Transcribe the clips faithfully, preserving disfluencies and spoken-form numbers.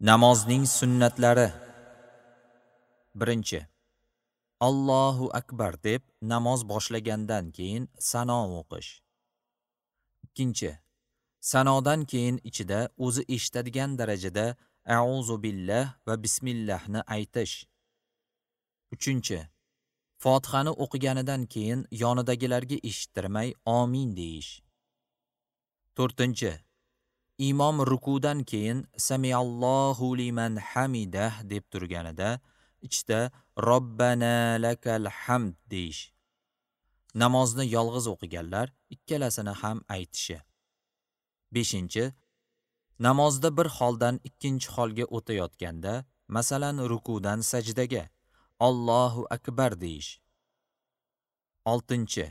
Namozning sunnatlari. Birinchi. Allohu akbar deb namoz boshlagandan keyin sano o'qish. Ikkinchi. Sanodan keyin ichida o'zi eshitadigan darajada a'uzu billah va bismillahni aytish. Uchinchi. Fotihani o'qiganidan keyin yonidagilarga eshittirmay amin deyish. To'rtinchi. Imom rukudan keyin samiallohu liman hamidah deb turganida ichda robbana lakal hamd deyish. Namozni yolg'iz o'qiganlar ikkalasini ham aytishi. Beshinchi. Namozda bir holdan ikkinchi holga o'tayotganda, masalan rukudan sajdaga Allohu akbar deyish. Oltinchi.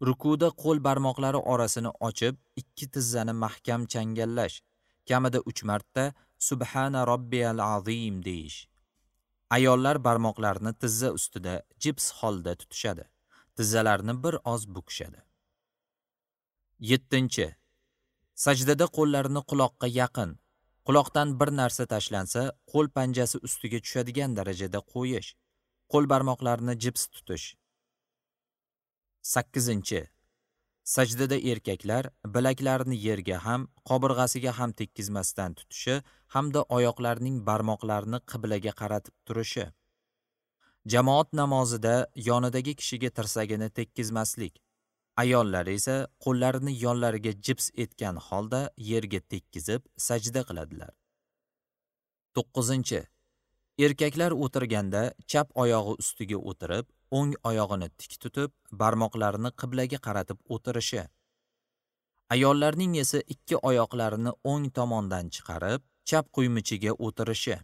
Rukuda qo'l barmoqlari orasini ochib, ikki tizzani mahkam changallash, kamida uch marta Subhana robbiyal azim deyish. Ayollar barmoqlarini tizza ustida jips holda tutishadi. Tizzalarni bir oz bukishadi. Yettinchi. Sajdada qo'llarini quloqqa yaqin, quloqdan bir narsa tashlansa, qo'l panjasi ustiga tushadigan darajada qo'yish, qo'l barmoqlarini jips tutish. Sakkizinchi. Sajdada erkaklar bilaklarini yerga ham, qobirg'asiga ham tekkizmasdan tutishi hamda oyoqlarining barmoqlarini qiblaga qaratib turishi. Jamoat namozida yonidagi kishiga tirsagini tekkizmaslik. Ayollar esa qo'llarini yonlariga jips etgan holda yerga tekkizib sajda qiladilar. To'qqizinchi. Erkaklar o'tirganda chap oyog'i ustiga o'tirib, o'ng oyog'ini tik tutib, barmoqlarini qiblaga qaratib o'tirishi. Ayollarning esa ikki oyoqlarini o'ng tomondan chiqarib, chap quymichiga o'tirishi.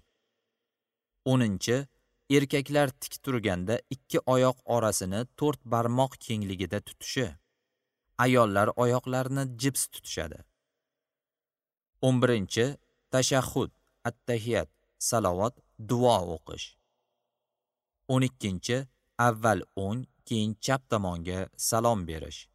O'ninchi. Erkaklar tik turganda ikki oyoq orasini to'rt barmoq kengligida tutishi. Ayollar oyoqlarini jips tutishadi. O'n birinchi. Tashahhud, attahiyat, salovat, duo o'qish. O'n ikkinchi. Avval o'ng, keyin chap tomonga salom berish.